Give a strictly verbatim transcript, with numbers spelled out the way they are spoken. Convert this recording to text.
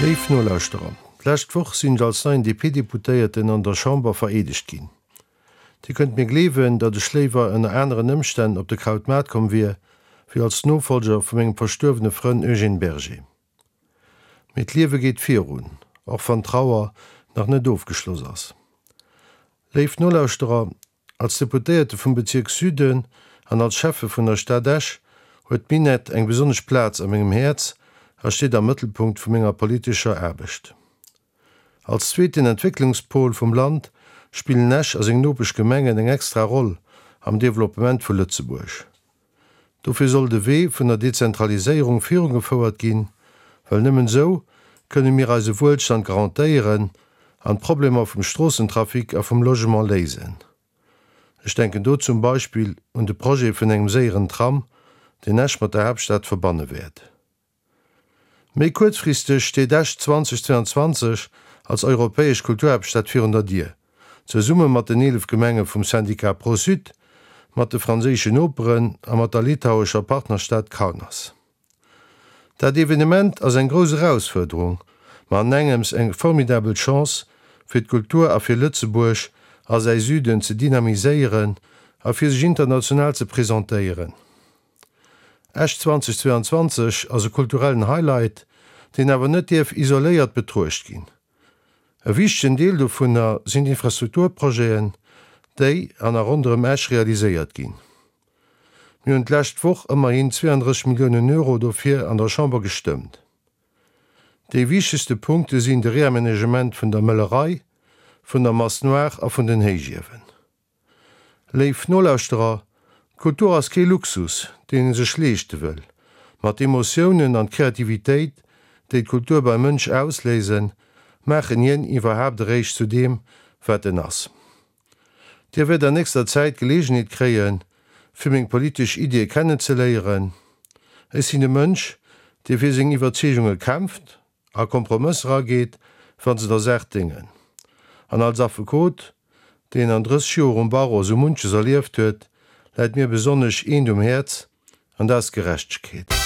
Léif Nolauschterer, d'lescht Woch sinn ech als neien D P-Deputéierten an der Chamber vereedegt ginn. Dir kënnt mir gleewen, datt ech léiwer ënner aneren Ëmstänn op de Krautmaart komm wier, wéi als Nofollger vu mengem verstuerwene Frënn Eugène Berger. Mee d'Liewe geet virun, och wann d'Trauer nach net ofgeschloss ass. Léif Nolauschterer, als Deputéierte vum Bezierk Süden an als Schäffe vun der Stad Esch huet d'Minett eng besonnesch Plaz a mengem Häerz a steet am Mëttelpunkt vu menger politescher Aarbecht. Als zweeten Entwécklungspol vum Land spillen Esch a seng Nopeschgemengen eng extra Roll am Developpement vu Lëtzebuerg. Dofir soll de Wee vun der Dezentraliséierung virugefouert ginn, well nëmmen esou kënne mir eise Wuelstand garantéieren an d'Problemer vum Stroossentrafic a vum Logement léisen. Ech denken do zum Beispill un de Projet vun engem séieren Tram, deen Esch mat der Haaptstad verbanne wäert. Méi kuerzfristeg steet Esch zweitausendzweiundzwanzeg als europäesch Kulturhaaptstad virun der Dier, zesumme mat den eelef Gemenge vum Syndicat Pro-Sud, mat de franséischen Noperen a mat der litauescher Partnerstad Kaunas. Dat Evenement ass eng grouss Erausfuerderung, ma an engems eng formidabel Chance fir d'Kultur a fir Lëtzebuerg a säi Süden ze dynamiséieren a fir sech international ze presentéieren. Esch zweitausendzweiundzwanzeg ass e kulturellen Highlight, deen awer net dierf isoléiert betruecht ginn. E wichtegen Deel dovunner sinn d'Infrastrukturprojeten, déi an a ronderëm Esch realiséiert ginn. Mir hunn d'lescht Woch ëmmerhin zweeanddrësseg Milliounen Euro dofir an der Chamber gestëmmt. Déi wichtegste Punkte sinn de Reamenagement vun der Möllerei, vun der Masse Noire a vun den Héichiewen. Léif Nolauschterer, Kultur ass kee Luxus, deen ee sech leeschte wëll, ma d'Emotiounen an d'Kreativitéit, déi d'Kultur beim Mënsch ausléisen, maachen hien iwwerhaapt eréischt zu deem, wat en ass. Dir wäert an nächster Zäit d'Geleegenheet kréien, fir meng politesch Iddie kennenzeléieren. Ech sinn e Mënsch, dee fir seng Iwwerzeegunge kämpft a Kompromësser ageet, wa se der Saach déngen. An als Affekot, deen an drësseg Joer um Barreau sou munches erlieft huet, läit mir besonnesch eent um Häerz, an dat ass Gerechtegkeet.